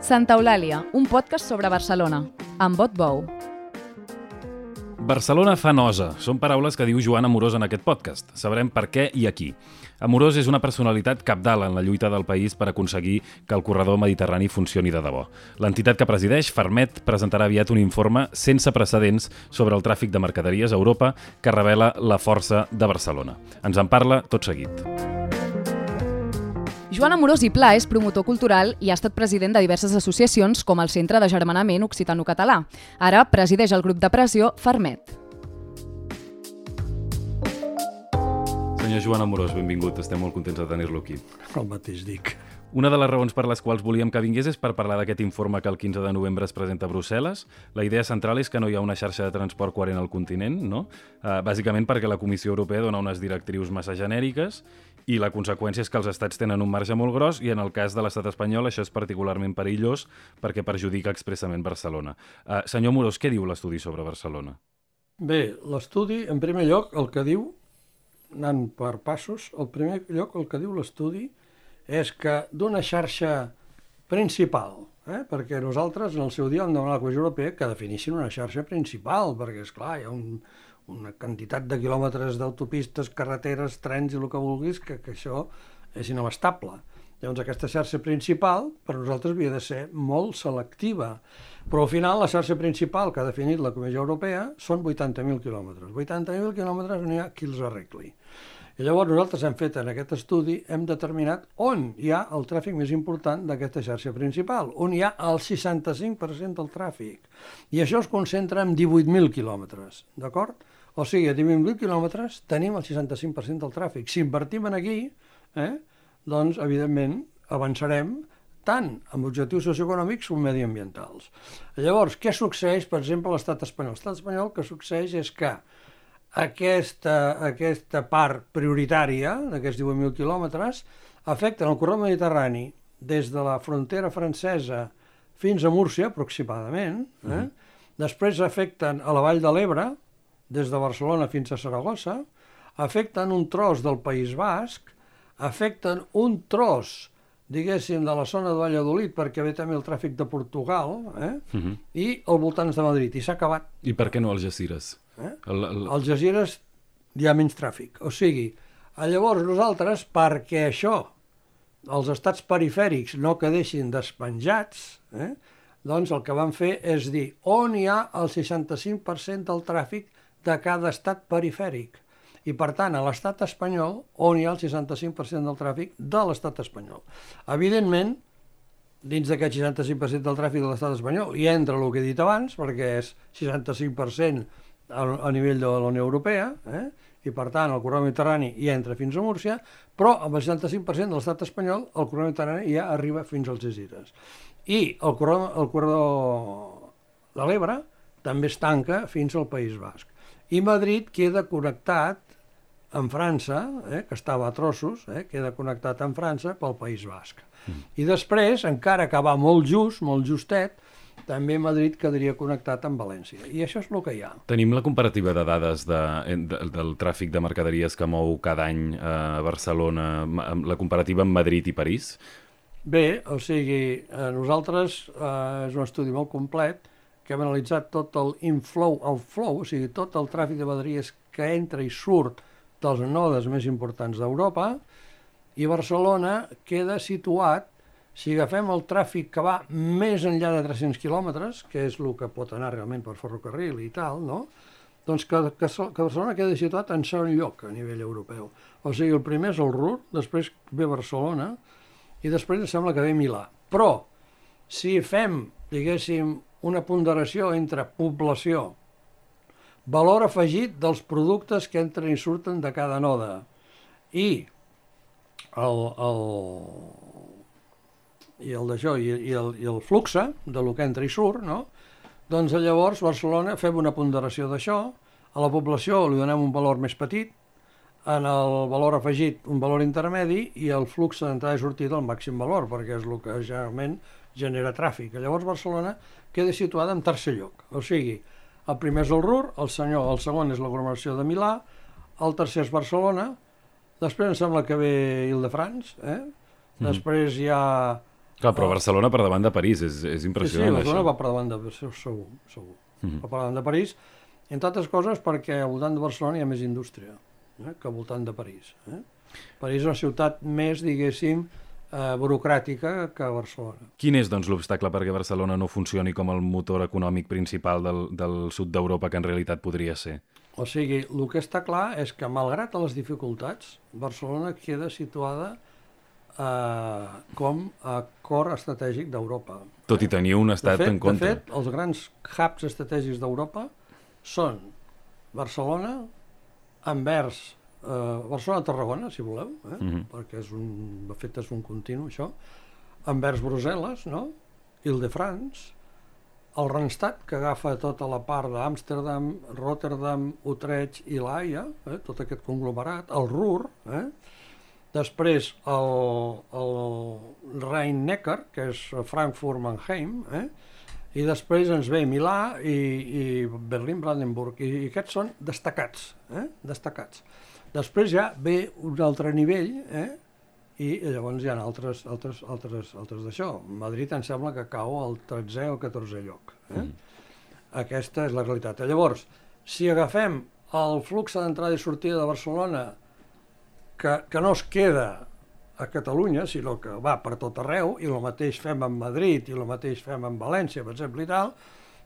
Santa Eulàlia, un podcast sobre Barcelona, amb Bot Bou. Barcelona fa nosa. Són paraules que diu Joan Amorós en aquest podcast. Sabrem per què i a qui. Amorós és una personalitat cabdal en la lluita del país per aconseguir que el corredor mediterrani funcioni de debò. L'entitat que presideix, Fermet, presentarà aviat un informe sense precedents sobre el tràfic de mercaderies a Europa que revela la força de Barcelona. Ens en parla tot seguit. Joan Amorós i Pla és promotor cultural i ha estat president de diverses associacions com el Centre d'Agermanament Occitano-Català. Ara presideix el grup de pressió Fermet. Senyor Joan Amorós, benvingut. Estem molt contents de tenir-lo aquí. El mateix dic. Una de les raons per les quals volíem que vingués és per parlar d'aquest informe que el 15 de novembre es presenta a Brussel·les. La idea central és que no hi ha una xarxa de transport coherent al continent, no? Bàsicament perquè la Comissió Europea dona unes directrius massa genèriques i la conseqüència és que els estats tenen un marge molt gros i en el cas de l'estat espanyol això és particularment perillós perquè perjudica expressament Barcelona. Senyor Amorós, què diu l'estudi sobre Barcelona? Bé, l'estudi, en primer lloc, el que diu, anant per passos, el primer lloc el que diu l'estudi és que d'una xarxa principal, perquè nosaltres en el seu dia vam demanar a la Comissió Europea que definissin una xarxa principal, perquè, esclar, hi ha una quantitat de quilòmetres d'autopistes, carreteres, trens i el que vulguis, que això és inabastable. Llavors aquesta xarxa principal per nosaltres havia de ser molt selectiva, però al final la xarxa principal que ha definit la Comissió Europea són 80.000 quilòmetres. 80.000 quilòmetres no hi ha qui els arregli. I llavors nosaltres hem fet en aquest estudi, hem determinat on hi ha el tràfic més important d'aquesta xarxa principal, on hi ha el 65% del tràfic. I això es concentra en 18.000 quilòmetres, d'acord? O sigui, a 18.000 quilòmetres tenim el 65% del tràfic. Si invertim en aquí, doncs, evidentment, avançarem tant amb objectius socioeconòmics com mediambientals. Llavors, què succeeix, per exemple, a l'estat espanyol? L'estat espanyol el que succeeix és que aquesta part prioritària d'aquests 18.000 quilòmetres afecten el corredor mediterrani des de la frontera francesa fins a Múrcia, aproximadament. Després afecten a la Vall de l'Ebre, des de Barcelona fins a Saragossa, afecten un tros del País Basc, afecten un tros, diguéssim, de la zona de Valladolid, perquè ve també el tràfic de Portugal, i al voltants de Madrid, i s'ha acabat. I per què no Algeciras? Als Algeciras hi ha menys tràfic. O sigui, llavors nosaltres, perquè això, els estats perifèrics no quedessin despenjats, doncs el que vam fer és dir on hi ha el 65% del tràfic de cada estat perifèric. I, per tant, a l'estat espanyol, on hi ha el 65% del tràfic de l'estat espanyol. Evidentment, dins d'aquest 65% del tràfic de l'estat espanyol hi entra el que he dit abans, perquè és 65% a nivell de la Unió Europea, i, per tant, el corredor mediterrani hi entra fins a Múrcia, però amb el 65% de l'estat espanyol el corredor mediterrani ja arriba fins als Algeciras. I el corredor de l'Ebre també es tanca fins al País Basc. I Madrid queda connectat amb França, que estava a trossos, queda connectat amb França pel País Basc. I després, encara que va molt justet, també Madrid quedaria connectat amb València. I això és el que hi ha. Tenim la comparativa de dades del tràfic de mercaderies que mou cada any a Barcelona, la comparativa amb Madrid i París? Bé, o sigui, nosaltres és un estudi molt complet que hem analitzat tot el inflow, outflow, o sigui, tot el tràfic de mercaderies que entra i surt dels nodes més importants d'Europa, i Barcelona queda situat, si agafem el tràfic que va més enllà de 300 quilòmetres, que és el que pot anar realment per ferrocarril i tal, no? Doncs que Barcelona queda situat en segon lloc a nivell europeu. O sigui, el primer és el Ruhr, després ve Barcelona, i després em sembla que ve Milà. Però, si fem, diguéssim, una ponderació entre població, valor afegit dels productes que entren i surten de cada node, i el flux de lo que entra i surt, no? Doncs llavors Barcelona fem una ponderació d'això, a la població li donem un valor més petit, en el valor afegit un valor intermedi i el flux d'entrada i sortida el màxim valor, perquè és el que generalment genera tràfic. Llavors Barcelona queda situada en tercer lloc, o sigui, el primer és el Ruhr, el segon és l'aglomeració de Milà, el tercer és Barcelona, després em sembla que ve Île-de-France, després hi ha Clar, però Barcelona per davant de París, és impressionant. Sí, Barcelona va per davant de París, segur. Va per davant de París, entre altres coses perquè al voltant de Barcelona hi ha més indústria que al voltant de París. París és una ciutat més, diguéssim, burocràtica que Barcelona. Quin és, doncs, l'obstacle perquè Barcelona no funcioni com el motor econòmic principal del sud d'Europa que en realitat podria ser? O sigui, el que està clar és que, malgrat les dificultats, Barcelona queda situada com a cor estratègic d'Europa. Tot i tenir un estat en contra. De fet, els grans hubs estratègics d'Europa són Barcelona, Anvers, Barcelona-Tarragona, si voleu, perquè de fet és un continu, això, Anvers-Brussel·les, no? Île-de-France, el Randstad, que agafa tota la part d'Amsterdam, Rotterdam, Utrecht i l'Haia, tot aquest conglomerat, el Ruhr, després el Rhein-Neckar, que és Frankfurt-Mannheim, i després ens ve Milà i Berlín-Brandenburg, i aquests són destacats, destacats. Després ja ve un altre nivell, i llavors hi ha altres d'això. Madrid em sembla que cau al 13è o 14è lloc. Aquesta és la realitat. Llavors, si agafem el flux d'entrada i sortida de Barcelona, que no es queda a Catalunya, sinó que va per tot arreu, i el mateix fem amb Madrid, i el mateix fem amb València, per exemple, i tal,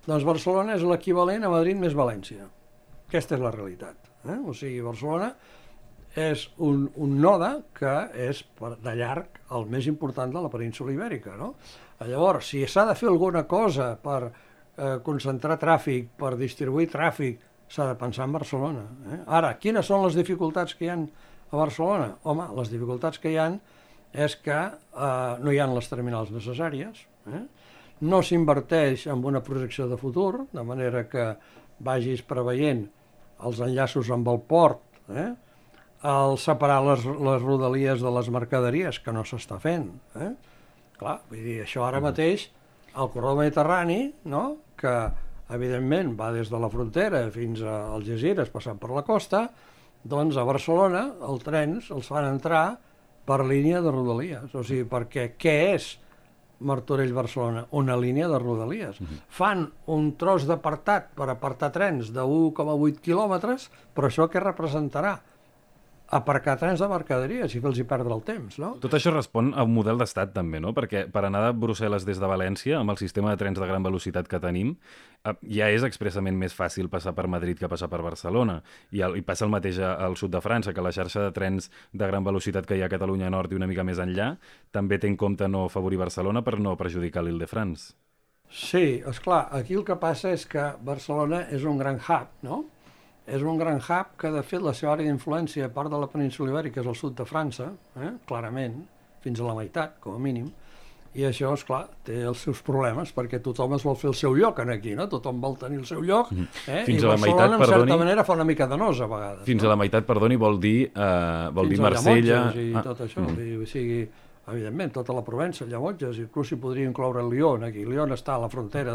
doncs Barcelona és l'equivalent a Madrid més València. Aquesta és la realitat. O sigui, Barcelona és un node que és de llarg el més important de la península ibèrica, no? Llavors, si s'ha de fer alguna cosa per concentrar tràfic, per distribuir tràfic, s'ha de pensar en Barcelona. Ara, quines són les dificultats que hi ha a Barcelona? Home, les dificultats que hi ha és que no hi ha les terminals necessàries, no s'inverteix en una projecció de futur, de manera que vagis preveient els enllaços amb el port, el separar les rodalies de les mercaderies, que no s'està fent. Clar, vull dir, això ara mateix, el corredor mediterrani, no?, que evidentment va des de la frontera fins a Algesires, passant per la costa, doncs a Barcelona els trens els fan entrar per línia de rodalies. O sigui, perquè què és Martorell-Barcelona? Una línia de rodalies. Fan un tros d'apartat per apartar trens de 1,8 quilòmetres, però això què representarà? Aparcar trens de mercaderies i fer-los perdre el temps, no? Tot això respon a un model d'estat també, no? Perquè per anar de Brussel·les des de València, amb el sistema de trens de gran velocitat que tenim, ja és expressament més fàcil passar per Madrid que passar per Barcelona. I passa el mateix al sud de França, que la xarxa de trens de gran velocitat que hi ha a Catalunya Nord i una mica més enllà també té en compte no afavorir Barcelona per no perjudicar l'Île-de-France. Sí, esclar, aquí el que passa és que Barcelona és un gran hub, no? És un gran hub que, de fet, la seva àrea d'influència, a part de la península ibèrica, és el sud de França, clarament, fins a la meitat, com a mínim, i això, esclar, té els seus problemes, perquè tothom es vol fer el seu lloc aquí, no? Tothom vol tenir el seu lloc, i Barcelona, en certa manera, fa una mica de nos, a vegades. Fins a la meitat, perdoni, vol dir Marsella... I tot això, o sigui, evidentment, tota la Provença, Llemotges, inclús s'hi podria incloure Lyon, aquí. Lyon està a la frontera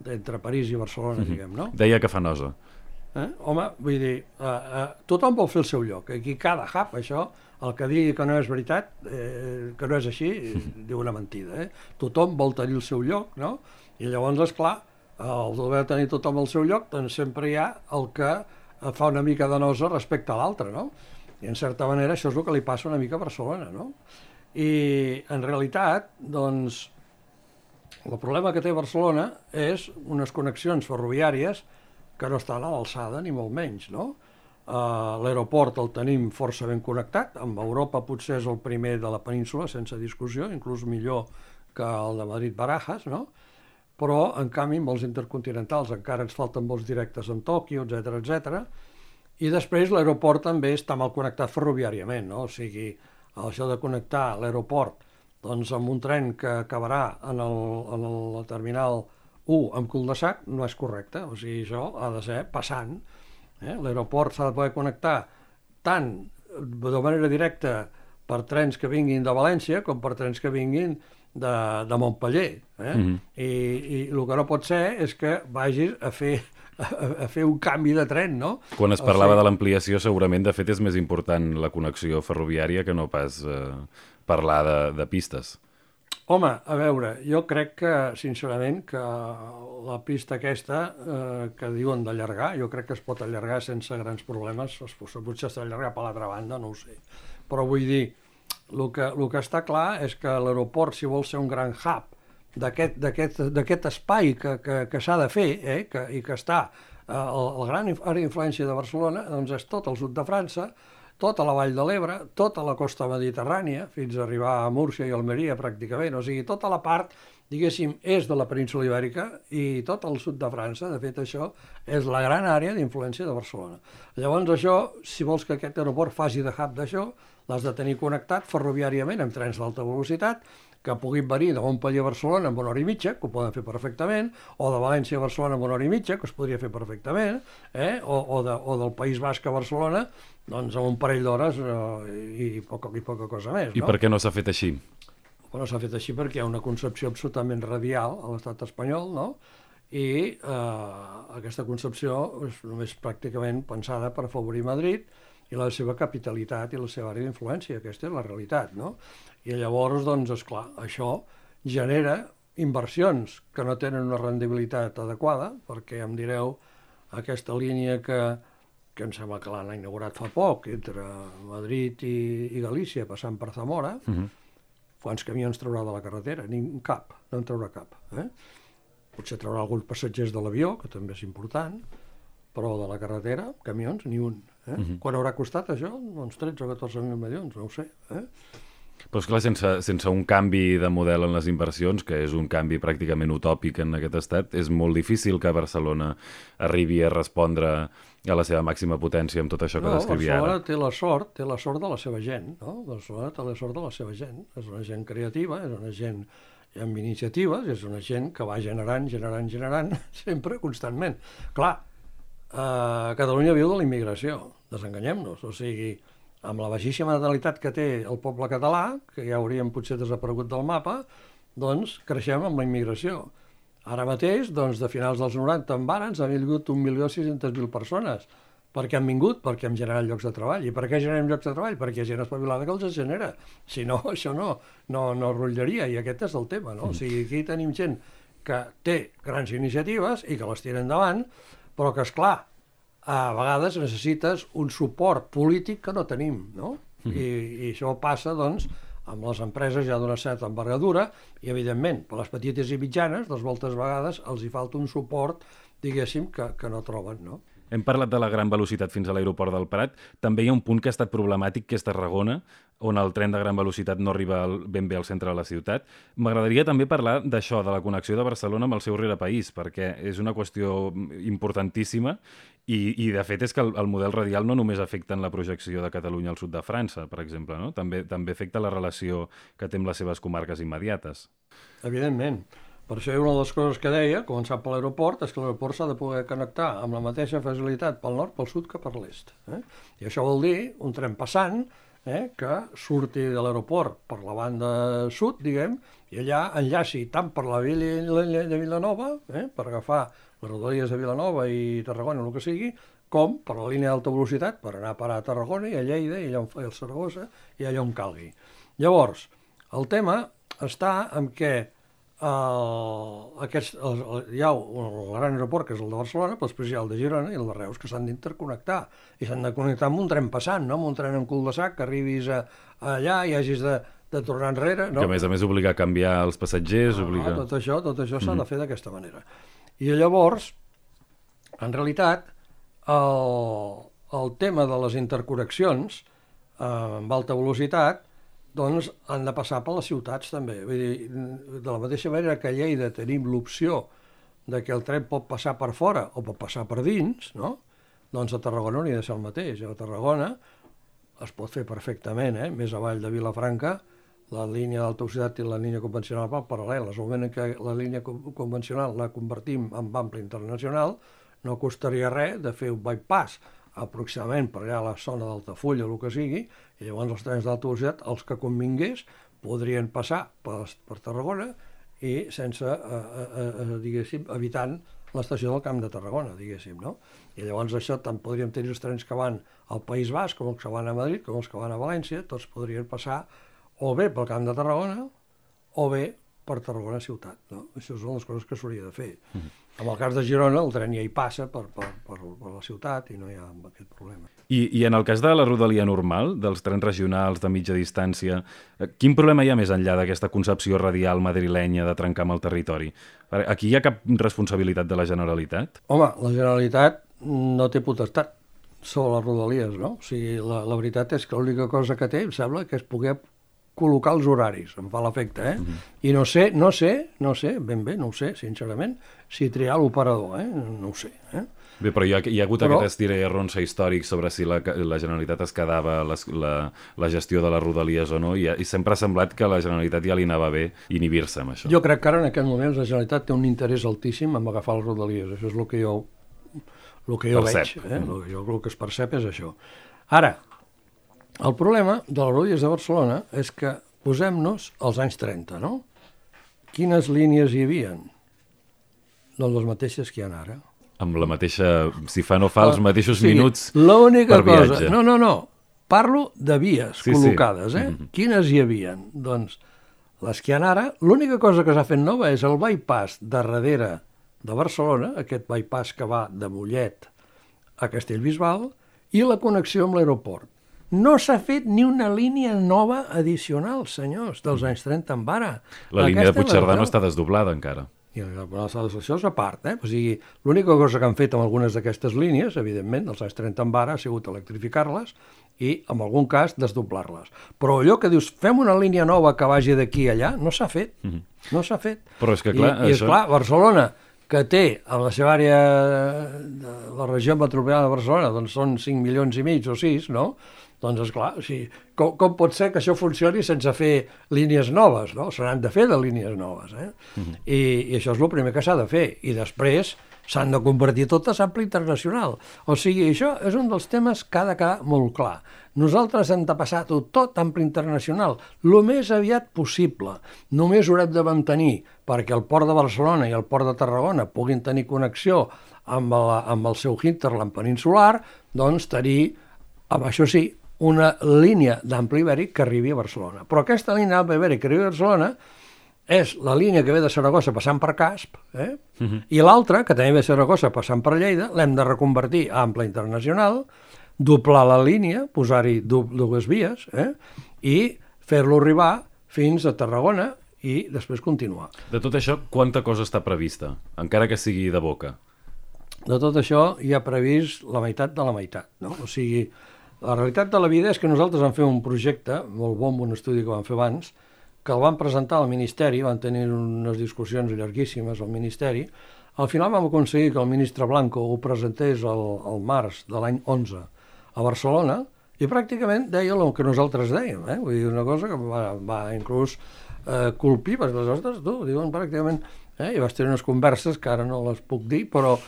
entre París i Barcelona, diguem, no? Deia que fa nosa. Home, vull dir, tothom vol fer el seu lloc. Aquí cada hub, això, el que digui que no és veritat, que no és així, diu una mentida. Tothom vol tenir el seu lloc, no? I llavors, esclar, el d'haver de tenir tothom el seu lloc, doncs sempre hi ha el que fa una mica de nosa respecte a l'altre, no? I en certa manera això és el que li passa una mica a Barcelona, no? I en realitat, doncs, el problema que té Barcelona és unes connexions ferroviàries que no estan a l'alçada, ni molt menys, no? L'aeroport el tenim força ben connectat, amb Europa potser és el primer de la península, sense discussió, inclús millor que el de Madrid-Barajas, no? Però, en canvi, amb els intercontinentals encara ens falten vols directes en Tòquio, etc. I després l'aeroport també està mal connectat ferroviàriament, no? O sigui, això de connectar l'aeroport doncs, amb un tren que acabarà en la terminal 1 amb cul-de-sac no és correcte, o sigui, això ha de ser passant. L'aeroport s'ha de poder connectar tant de manera directa per trens que vinguin de València com per trens que vinguin de Montpeller. I el que no pot ser és que vagis a fer un canvi de tren, no? Quan es parlava de l'ampliació, segurament, de fet, és més important la connexió ferroviària que no pas parlar de pistes. Home, a veure, jo crec que, sincerament, que la pista aquesta que diuen d'allargar, jo crec que es pot allargar sense grans problemes, potser s'ha d'allargar per l'altra banda, no ho sé. Però vull dir, el que està clar és que l'aeroport, si vol ser un gran hub d'aquest espai que s'ha de fer i que està el gran àrea d'influència de Barcelona, doncs és tot el sud de França, tota la Vall de l'Ebre, tota la costa mediterrània, fins a arribar a Múrcia i Almeria pràcticament, o sigui, tota la part, diguéssim, és de la península Ibèrica i tot el sud de França, de fet això és la gran àrea d'influència de Barcelona. Llavors això, si vols que aquest aeroport faci de hub d'això, l'has de tenir connectat ferroviàriament amb trens d'alta velocitat, que puguin venir de Montpellier a Barcelona en 1 hora i mitja, que ho poden fer perfectament, o de València a Barcelona en 1 hora i mitja, que es podria fer perfectament, o del País Basc a Barcelona, doncs en un parell d'hores i poca cosa més. I per què no s'ha fet així? Bueno, s'ha fet així perquè hi ha una concepció absolutament radial a l'estat espanyol, no? I aquesta concepció és només pràcticament pensada per afavorir Madrid i la seva capitalitat i la seva àrea d'influència. Aquesta és la realitat, no? I llavors, doncs, esclar, això genera inversions que no tenen una rendibilitat adequada, perquè em direu aquesta línia que em sembla que l'han inaugurat fa poc, entre Madrid i Galícia, passant per Zamora, quants camions traurà de la carretera? Cap, no en traurà cap. Potser traurà alguns passatgers de l'avió, que també és important, però de la carretera, camions, ni un. Quan haurà costat això? Doncs 13 o 14.000 milions, no ho sé. Però esclar, sense un canvi de model en les inversions, que és un canvi pràcticament utòpic en aquest estat, és molt difícil que Barcelona arribi a respondre a la seva màxima potència amb tot això que descrivia ara. Barcelona té la sort de la seva gent, no? Barcelona té la sort de la seva gent. És una gent creativa, és una gent amb iniciatives, és una gent que va generant, sempre, constantment. Clar, Catalunya viu de la immigració, desenganyem-nos, o sigui, amb la baixíssima natalitat que té el poble català, que ja hauríem potser desaparegut del mapa, doncs creixem amb la immigració. Ara mateix, doncs, de finals dels 90 en varen, han vingut 1.600.000 persones. Per què han vingut? Perquè hem generat llocs de treball. I per què generem llocs de treball? Perquè hi ha gent espavilada que els genera. Si no, això no rotllaria, i aquest és el tema, no? O sigui, aquí tenim gent que té grans iniciatives i que les tira endavant, però que, esclar, a vegades necessites un suport polític que no tenim, no? I això passa, doncs, amb les empreses ja d'una certa envergadura i, evidentment, per les petites i mitjanes, doncs, moltes vegades els hi falta un suport, diguéssim, que no troben, no? Hem parlat de la gran velocitat fins a l'aeroport del Prat. També hi ha un punt que ha estat problemàtic, que és Tarragona, on el tren de gran velocitat no arriba ben bé al centre de la ciutat. M'agradaria també parlar d'això, de la connexió de Barcelona amb el seu rerepaís, perquè és una qüestió importantíssima i de fet, és que el model radial no només afecta en la projecció de Catalunya al sud de França, per exemple, no? També afecta la relació que té amb les seves comarques immediates. Evidentment. Per això una de les coses que deia, començant per l'aeroport, és que l'aeroport s'ha de poder connectar amb la mateixa facilitat pel nord, pel sud que per l'est. I això vol dir un tren passant que surti de l'aeroport per la banda sud, diguem, i allà enllaci tant per la vila de Vilanova, per agafar les rodalies de Vilanova i Tarragona, el que sigui, com per la línia d'alta velocitat, per anar a parar a Tarragona i a Lleida i allà on fa el Saragossa i allà on calgui. Llavors, el tema està en què hi ha el gran aeroport, que és el de Barcelona, però després hi ha el de Girona i el de Reus, que s'han d'interconnectar. I s'han de connectar amb un tren passant, no amb un tren en cul de sac, que arribis allà i hagis de tornar enrere. No? Que a més obliga a canviar els passatgers. Tot això s'ha de fer d'aquesta manera. I llavors, en realitat, el tema de les interconnexions amb alta velocitat doncs han de passar per les ciutats també. Vull dir, de la mateixa manera que a Lleida tenim l'opció de que el tren pot passar per fora o pot passar per dins, no? Doncs a Tarragona hauria de ser el mateix. A Tarragona es pot fer perfectament, més avall de Vilafranca, la línia d'alta velocitat i la línia convencional van paral·leles. Al moment que la línia convencional la convertim en ample internacional, no costaria res de fer un bypass aproximadament per allà a la zona d'Altafulla o el que sigui, i llavors els trens d'alta velocitat, els que convingués, podrien passar per Tarragona i sense, diguéssim, evitant l'estació del Camp de Tarragona, diguéssim, no? I llavors això tant podríem tenir els trens que van al País Basc, com els que van a Madrid, com els que van a València, tots podrien passar o bé pel Camp de Tarragona o bé per Tarragona ciutat. No? Això són les coses que s'hauria de fer. En el cas de Girona, el tren ja hi passa per la ciutat i no hi ha aquest problema. I en el cas de la rodalia normal, dels trens regionals de mitja distància, quin problema hi ha més enllà d'aquesta concepció radial madrilenya de trencar amb el territori? Aquí hi ha cap responsabilitat de la Generalitat? Home, la Generalitat no té potestat sobre les rodalies, no? O sigui, la veritat és que l'única cosa que té, em sembla, que és poder col·locar els horaris, em fa l'efecte, I no sé, ben bé, no ho sé, sincerament, si triar l'operador, no ho sé, Bé, però hi ha hagut aquest estira i arronsa històric sobre si la Generalitat es quedava la gestió de les rodalies o no, i sempre ha semblat que a la Generalitat ja li anava bé inhibir-se amb això. Jo crec que ara en aquest moment la Generalitat té un interès altíssim en agafar les rodalies, això és el que jo veig, el que es percep és això. Ara, el problema de les rodalies de Barcelona és que posem-nos als anys 30, no? Quines línies hi havia? Doncs les mateixes que hi ha ara. Amb la mateixa, si fa no fa, els mateixos minuts l'única per viatge. Cosa, no, parlo de vies col·locades, Quines hi havia? Doncs les que hi ha ara, l'única cosa que s'ha fet nova és el bypass de darrere de Barcelona, aquest bypass que va de Mollet a Castellbisbal, i la connexió amb l'aeroport. No s'ha fet ni una línia nova addicional, senyors, dels anys 30 en ara. La línia de Puigcerdà no està desdoblada encara. I això és a part, O sigui, l'única cosa que han fet amb algunes d'aquestes línies, evidentment, dels anys 30 en ara, ha sigut electrificar-les i, en algun cas, desdoblar-les. Però allò que dius, fem una línia nova que vagi d'aquí a allà, no s'ha fet. No s'ha fet. Però és que, clar, I esclar, Barcelona, que té a la seva àrea, la regió metropolitana de Barcelona, doncs són 5 milions i mig o 6, no? Doncs, esclar, o sigui, com pot ser que això funcioni sense fer línies noves, no? Se n'han de fer de línies noves, I això és el primer que s'ha de fer. I després s'han de convertir totes en ample internacional. O sigui, això és un dels temes que ha de quedar molt clar. Nosaltres hem de passar-ho tot ample internacional, el més aviat possible. Només haurem de mantenir perquè el port de Barcelona i el port de Tarragona puguin tenir connexió amb el seu hinterland peninsular, doncs tenir, això sí, una línia d'ample ibèric que arribi a Barcelona. Però aquesta línia d'ample ibèric que arribi a Barcelona és la línia que ve de Saragossa passant per Casp, i l'altra, que també ve de Saragossa passant per Lleida, l'hem de reconvertir a ample internacional, doblar la línia, posar-hi dues vies, i fer-lo arribar fins a Tarragona i després continuar. De tot això, quanta cosa està prevista, encara que sigui de boca? De tot això hi ha previst la meitat de la meitat, no? O sigui, la realitat de la vida és que nosaltres vam fer un projecte, molt bon, un estudi que vam fer abans, que el vam presentar al Ministeri, van tenir unes discussions llarguíssimes al Ministeri. Al final vam aconseguir que el ministre Blanco ho presentés al març de l'any 11 a Barcelona i pràcticament deia el que nosaltres dèiem, Vull dir, una cosa que va inclús colpir, perquè les nostres, diuen pràcticament, i vas tenir unes converses que ara no les puc dir, però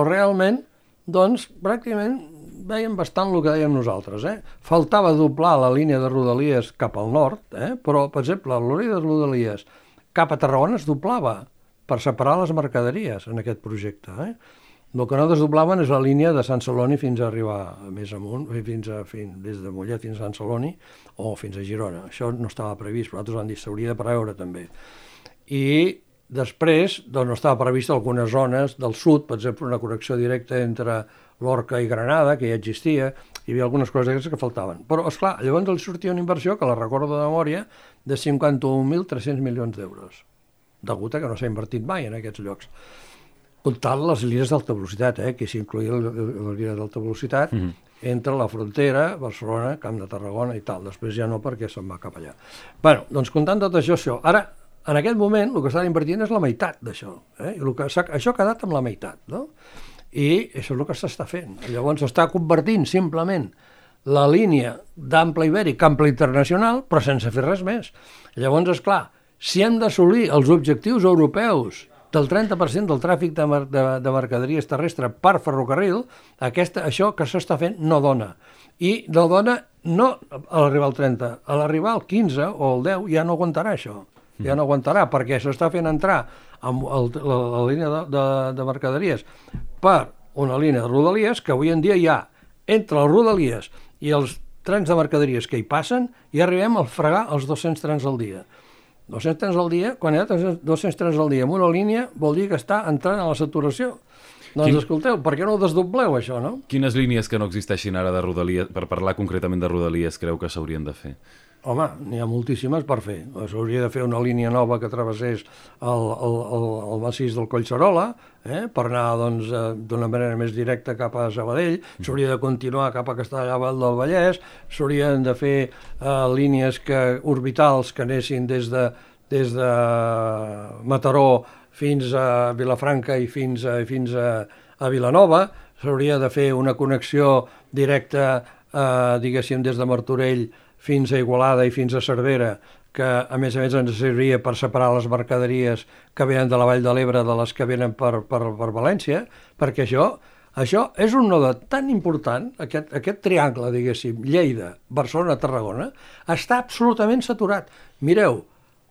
realment, doncs, pràcticament veiem bastant el que dèiem nosaltres. Faltava doblar la línia de Rodalies cap al nord, però, per exemple, la línia de Rodalies cap a Tarragona es doblava per separar les mercaderies en aquest projecte. El que no desdoblaven és la línia de Sant Celoni fins a arribar més amunt, des de Mollet fins a Sant Celoni o fins a Girona. Això no estava previst, però nosaltres vam dir s'hauria de preveure també. I després no estava previst algunes zones del sud, per exemple, una connexió directa entre Lorca i Granada, que ja existia, hi havia algunes coses que faltaven. Però, esclar, llavors els sortia una inversió, que la recordo de memòria, de 51.300 milions d'euros, degut a que no s'ha invertit mai en aquests llocs. Comptant les línies d'alta velocitat, que s'incloïa la línia d'alta velocitat entre la frontera, Barcelona, Camp de Tarragona i tal. Després ja no, perquè se'n va cap allà. Bé, doncs comptant tot això, ara, en aquest moment, el que s'ha invertint és la meitat d'això. Això ha quedat amb la meitat, no? I això és el que s'està fent. Llavors s'està convertint simplement la línia d'ample ibèric, ample internacional, però sense fer res més. Llavors, esclar, si hem d'assolir els objectius europeus del 30% del tràfic de mercaderies terrestre per ferrocarril, això que s'està fent no dona. I no dona no a l'arribar al 30, a l'arribar al 15 o al 10 ja no aguantarà això. Ja no aguantarà, perquè s'està fent entrar amb la línia de mercaderies per una línia de Rodalies que avui en dia hi ha entre les Rodalies i els trens de mercaderies que hi passen i arribem a fregar els 200 trens al dia. 200 trens al dia, quan hi ha 200 trens al dia en una línia, vol dir que està entrant a la saturació. Doncs escolteu, per què no ho desdobleu, això, no? Quines línies que no existeixin ara de Rodalies, per parlar concretament de Rodalies, creu que s'haurien de fer? Home, n'hi ha moltíssimes per fer. S'hauria de fer una línia nova que travessés el massís del Collserola, per anar d'una manera més directa cap a Sabadell, s'hauria de continuar cap a Castellar del Vallès, s'haurien de fer línies orbitals que anessin des de Mataró fins a Vilafranca i fins a Vilanova, s'hauria de fer una connexió directa, diguéssim, des de Martorell fins a Igualada i fins a Cervera, que a més ens serviria per separar les mercaderies que venen de la Vall de l'Ebre de les que venen per València, perquè això és un node tan important, aquest triangle, diguéssim, Lleida, Barcelona, Tarragona, està absolutament saturat. Mireu,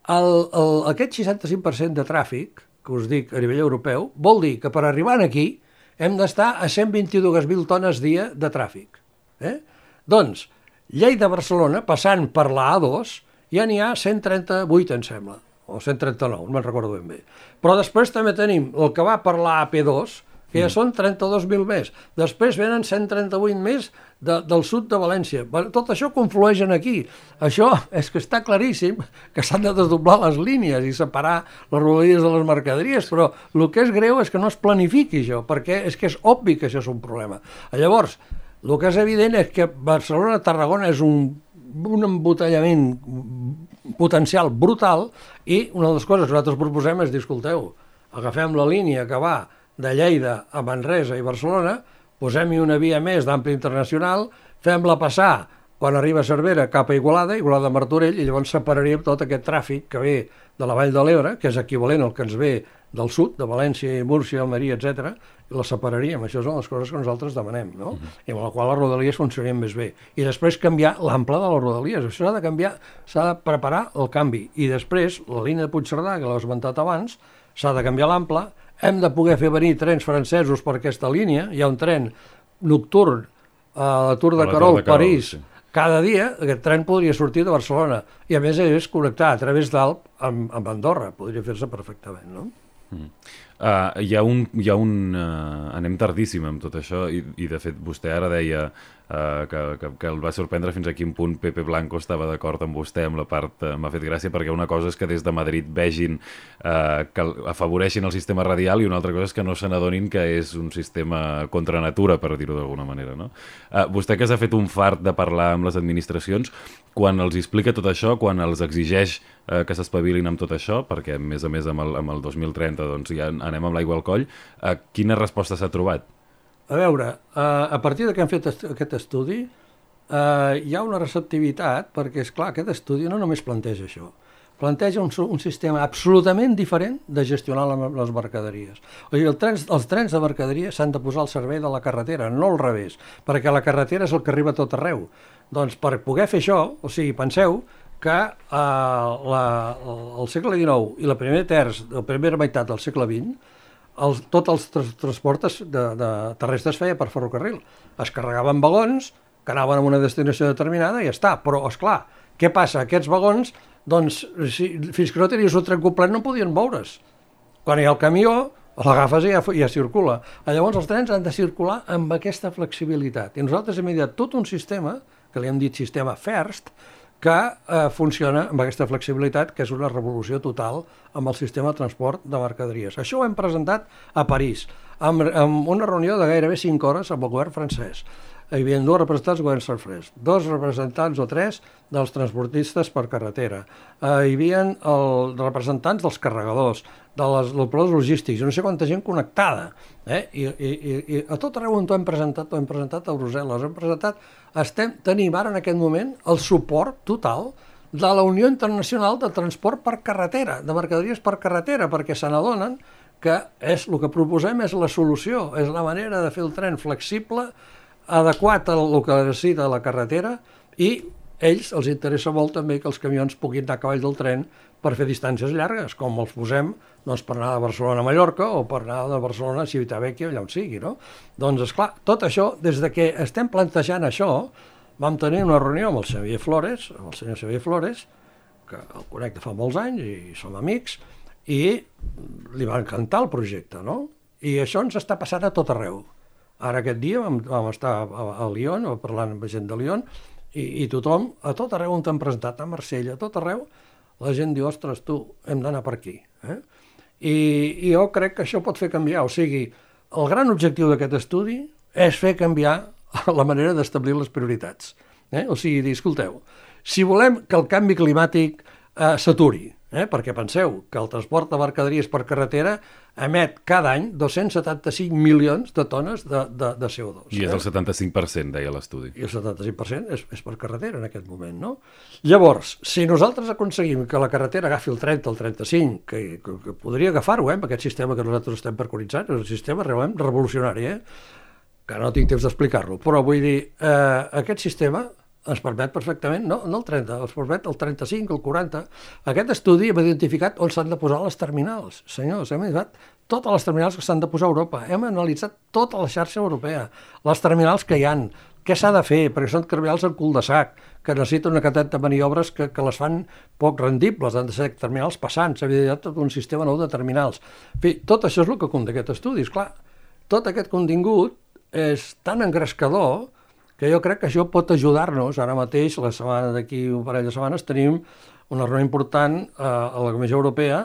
aquest 65% de tràfic, que us dic a nivell europeu, vol dir que per arribar aquí hem d'estar a 122.000 tones dia de tràfic. Doncs, Lleida-Barcelona, passant per la A2, ja n'hi ha 138, em sembla, o 139, no me'n recordo ben bé. Però després també tenim el que va per la AP2, que ja són 32.000 més. Després venen 138 més del sud de València. Tot això conflueix aquí. Això és que està claríssim que s'han de desdoblar les línies i separar les rodalies de les mercaderies, però el que és greu és que no es planifiqui això, perquè és que és obvi que això és un problema. Llavors, el que és evident és que Barcelona-Tarragona és un embotellament potencial brutal i una de les coses que nosaltres proposem és dir, escolteu, agafem la línia que va de Lleida a Manresa i Barcelona, posem-hi una via més d'ample internacional, fem-la passar quan arriba a Cervera cap a Igualada a Martorell, i llavors separaríem tot aquest tràfic que ve de la Vall de l'Ebre, que és equivalent al que ens ve del sud, de València, Múrcia, Almeria, etc., i la separaríem. Això són les coses que nosaltres demanem, no? I amb la qual les rodalies funcionarien més bé. I després canviar l'ample de les rodalies. Això s'ha de canviar, s'ha de preparar el canvi. I després, la línia de Puigcerdà, que l'he esmentat abans, s'ha de canviar l'ample. Hem de poder fer venir trens francesos per aquesta línia. Hi ha un tren nocturn a la Tour de Carol, París, cada dia. Aquest tren podria sortir de Barcelona i a més és connectar a través d'Alp amb Andorra. Podria fer-se perfectament, no? Anem tardíssim amb tot això i de fet vostè ara deia que el va sorprendre fins a quin punt Pepe Blanco estava d'acord amb vostè amb la part, m'ha fet gràcia perquè una cosa és que des de Madrid vegin que afavoreixin el sistema radial i una altra cosa és que no se n'adonin que és un sistema contra natura, per dir-ho d'alguna manera, no? Vostè que s'ha fet un fart de parlar amb les administracions, quan els explica tot això, quan els exigeix que s'espavilin amb tot això, perquè a més amb el 2030 doncs, ja anem amb l'aigua al coll, quina resposta s'ha trobat? A veure, a partir que hem fet aquest estudi hi ha una receptivitat perquè, és clar, aquest estudi no només planteja això, planteja un sistema absolutament diferent de gestionar les mercaderies. O sigui, els trens de mercaderies s'han de posar al servei de la carretera, no al revés, perquè la carretera és el que arriba a tot arreu. Doncs per poder fer això, o sigui, penseu que al segle XIX i la primera meitat del segle XX tots els transports terrestres feia per ferrocarril. Es carregaven vagons que anaven a una destinació determinada i ja està. Però, esclar, què passa? Aquests vagons, doncs, fins que no tenies un tren complet no podien moure's. Quan hi ha el camió, l'agafes i ja circula. Llavors els trens han de circular amb aquesta flexibilitat. I nosaltres hem ideat tot un sistema, que li hem dit sistema FIRST, que funciona amb aquesta flexibilitat, que és una revolució total amb el sistema de transport de mercaderies. Això ho hem presentat a París, amb una reunió de gairebé 5 hores amb el govern francès. Hi havia 2 representants del govern francès, 2 representants o 3 dels transportistes per carretera, hi havia els representants dels carregadors, dels operadors logístics, no sé quanta gent connectada. I a tot arreu on ho hem presentat a Brussel·les, tenim ara en aquest moment el suport total de la Unió Internacional de Transport per Carretera, de mercaderies per carretera, perquè se n'adonen que el que proposem és la solució, és la manera de fer el tren flexible, adequat al que necessita la carretera, i els interessa molt també que els camions puguin anar a cavall del tren per fer distàncies llargues, com els posem per anar de Barcelona a Mallorca o per anar de Barcelona a Civitavecchia, allà on sigui, no? Doncs, esclar, tot això, des que estem plantejant això, vam tenir una reunió amb el senyor Xavier Flores, que el conec de fa molts anys i som amics, i li va encantar el projecte, no? I això ens està passant a tot arreu. Ara aquest dia vam estar a Lyon, parlant amb gent de Lyon, i tothom, a tot arreu on t'han presentat, a Marsella, a tot arreu, la gent diu, ostres, tu, hem d'anar per aquí. I jo crec que això pot fer canviar, o sigui, el gran objectiu d'aquest estudi és fer canviar la manera d'establir les prioritats. O sigui, dir, escolteu, si volem que el canvi climàtic s'aturi, perquè penseu que el transport de mercaderies per carretera emet cada any 275 milions de tones de CO2. I és el 75%, deia l'estudi. I el 75% és per carretera en aquest moment, no? Llavors, si nosaltres aconseguim que la carretera agafi el 30 o el 35, que podria agafar-ho, amb aquest sistema que nosaltres estem preconitzant, és un sistema realment revolucionari, que no tinc temps d'explicar-lo, però vull dir, aquest sistema ens permet perfectament, no el 30, ens permet el 35, el 40. Aquest estudi hem identificat on s'han de posar les terminals. Senyors, hem identificat totes les terminals que s'han de posar a Europa. Hem analitzat tota la xarxa europea, les terminals que hi han, què s'ha de fer, perquè són terminals en cul de sac, que necessiten una quantitat de maniobres que les fan poc rendibles, han de ser terminals passants, s'havia dit tot un sistema nou de terminals. En fi, tot això és el que conté aquest estudi. Esclar, tot aquest contingut és tan engrescador que jo crec que això pot ajudar-nos. Ara mateix, la setmana d'aquí un parell de setmanes, tenim una reunió important a la Comissió Europea.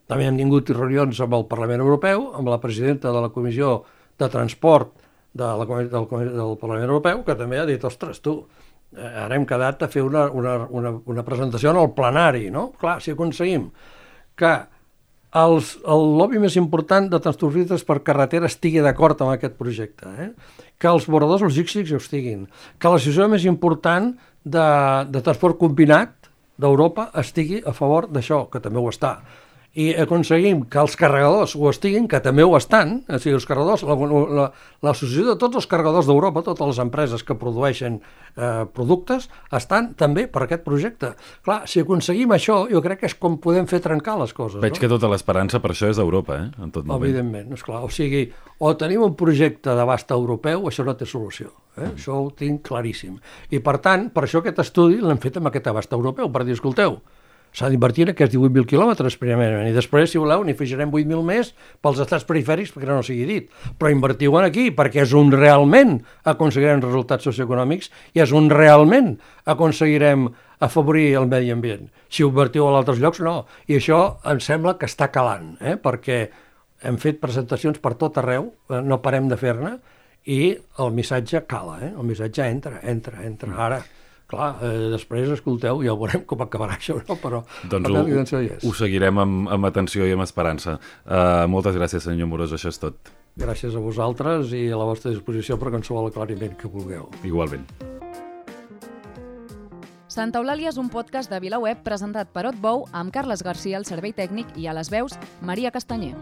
També hem tingut reunions amb el Parlament Europeu, amb la presidenta de la Comissió de Transport del Parlament Europeu, que també ha dit, ostres, tu, ara hem quedat a fer una presentació en el plenari, no? Clar, si aconseguim que el lobby més important de transportistes per carretera estigui d'acord amb aquest projecte, que els operadors logístics ho estiguin, que l'associació més important de transport combinat d'Europa estigui a favor d'això, que també ho està, i aconseguim que els carregadors ho estiguin, que també ho estan, o sigui, els carregadors, l'associació de tots els carregadors d'Europa, totes les empreses que produeixen productes, estan també per aquest projecte. Clar, si aconseguim això, jo crec que és com podem fer trencar les coses. Veig que tota l'esperança per això és Europa, en tot moment. Evidentment, esclar. O sigui, o tenim un projecte d'abast europeu o això no té solució. Això ho tinc claríssim. I per tant, per això aquest estudi l'hem fet amb aquest abast europeu, per dir, escolteu, s'ha d'invertir en aquests 18.000 quilòmetres primerament, i després, si voleu, n'hi afegirem 8.000 més pels estats perifèrics, perquè no sigui dit. Però invertiu en aquí, perquè és on realment aconseguirem resultats socioeconòmics i és on realment aconseguirem afavorir el medi ambient. Si ho invertiu a altres llocs, no. I això em sembla que està calant, perquè hem fet presentacions per tot arreu, no parem de fer-ne, i el missatge cala, el missatge entra. Ara, clar, després, escolteu, ja veurem com acabarà això, no? Però doncs ho seguirem amb atenció i amb esperança. Moltes gràcies, senyor Amorós, això és tot. Gràcies a vosaltres i a la vostra disposició per qualsevol aclariment que vulgueu. Igualment. Santa Eulàlia és un podcast de VilaWeb presentat per Otbou amb Carles Garcia al servei tècnic i a les veus Maria Castanyer.